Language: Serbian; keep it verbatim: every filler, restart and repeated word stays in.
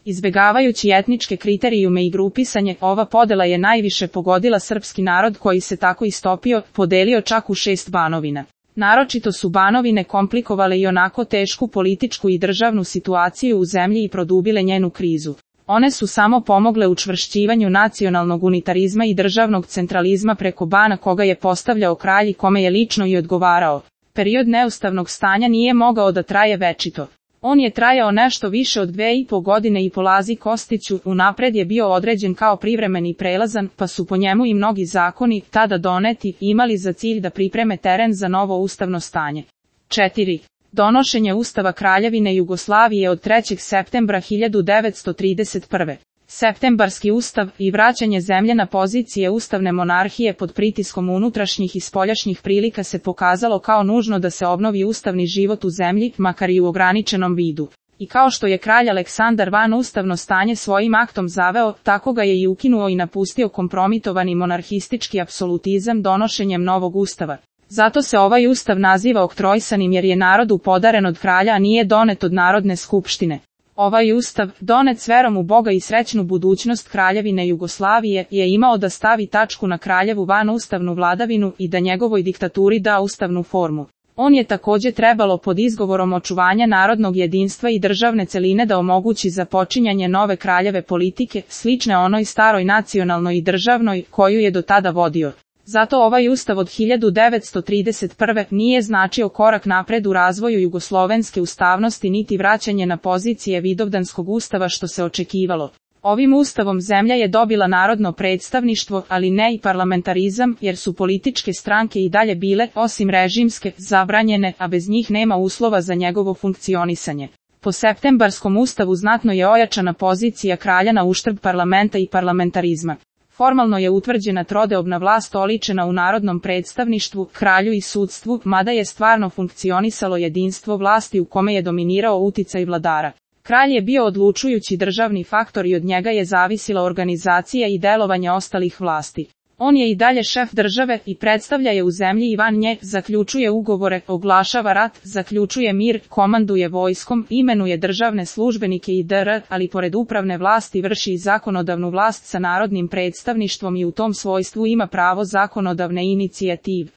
Izbegavajući etničke kriterijume i grupisanje, ova podela je najviše pogodila srpski narod koji se tako istopio, podelio čak u šest banovina. Naročito su banovine komplikovale i onako tešku političku i državnu situaciju u zemlji i produbile njenu krizu. One su samo pomogle učvršćivanju nacionalnog unitarizma i državnog centralizma preko bana koga je postavljao kralj i kome je lično i odgovarao. Period neustavnog stanja nije mogao da traje večito. On je trajao nešto više od dve i po godine i po Lazi Kostiću unapred je bio određen kao privremeni prelazan, pa su po njemu i mnogi zakoni, tada doneti, imali za cilj da pripreme teren za novo ustavno stanje. četiri. Donošenje Ustava Kraljevine Jugoslavije od trećeg septembra hiljadu devetsto trideset prve. Septembarski ustav i vraćanje zemlje na pozicije ustavne monarhije pod pritiskom unutrašnjih i spoljašnjih prilika se pokazalo kao nužno da se obnovi ustavni život u zemlji, makar i u ograničenom vidu. I kao što je kralj Aleksandar van ustavno stanje svojim aktom zaveo, tako ga je i ukinuo i napustio kompromitovani monarhistički apsolutizam donošenjem novog ustava. Zato se ovaj ustav naziva oktrojsanim jer je narodu podaren od kralja, a nije donet od Narodne skupštine. Ovaj ustav, donet s verom u Boga i srećnu budućnost Kraljevine Jugoslavije, je imao da stavi tačku na kraljevu vanustavnu vladavinu i da njegovoj diktaturi da ustavnu formu. On je takođe trebalo pod izgovorom očuvanja narodnog jedinstva i državne celine da omogući započinjanje nove kraljeve politike, slične onoj staroj nacionalnoj i državnoj, koju je do tada vodio. Zato ovaj ustav od hiljadu devetsto trideset prve. nije značio korak napred u razvoju jugoslovenske ustavnosti niti vraćanje na pozicije Vidovdanskog ustava što se očekivalo. Ovim ustavom zemlja je dobila narodno predstavništvo, ali ne i parlamentarizam, jer su političke stranke i dalje bile, osim režimske, zabranjene, a bez njih nema uslova za njegovo funkcionisanje. Po septembarskom ustavu znatno je ojačana pozicija kralja na uštrb parlamenta i parlamentarizma. Formalno je utvrđena trodeobna vlast oličena u narodnom predstavništvu, kralju i sudstvu, mada je stvarno funkcionisalo jedinstvo vlasti u kome je dominirao uticaj vladara. Kralj je bio odlučujući državni faktor i od njega je zavisila organizacija i delovanje ostalih vlasti. On je i dalje šef države i predstavlja je u zemlji i van nje, zaključuje ugovore, oglašava rat, zaključuje mir, komanduje vojskom, imenuje državne službenike i dr., ali pored upravne vlasti vrši i zakonodavnu vlast sa narodnim predstavništvom i u tom svojstvu ima pravo zakonodavne inicijative.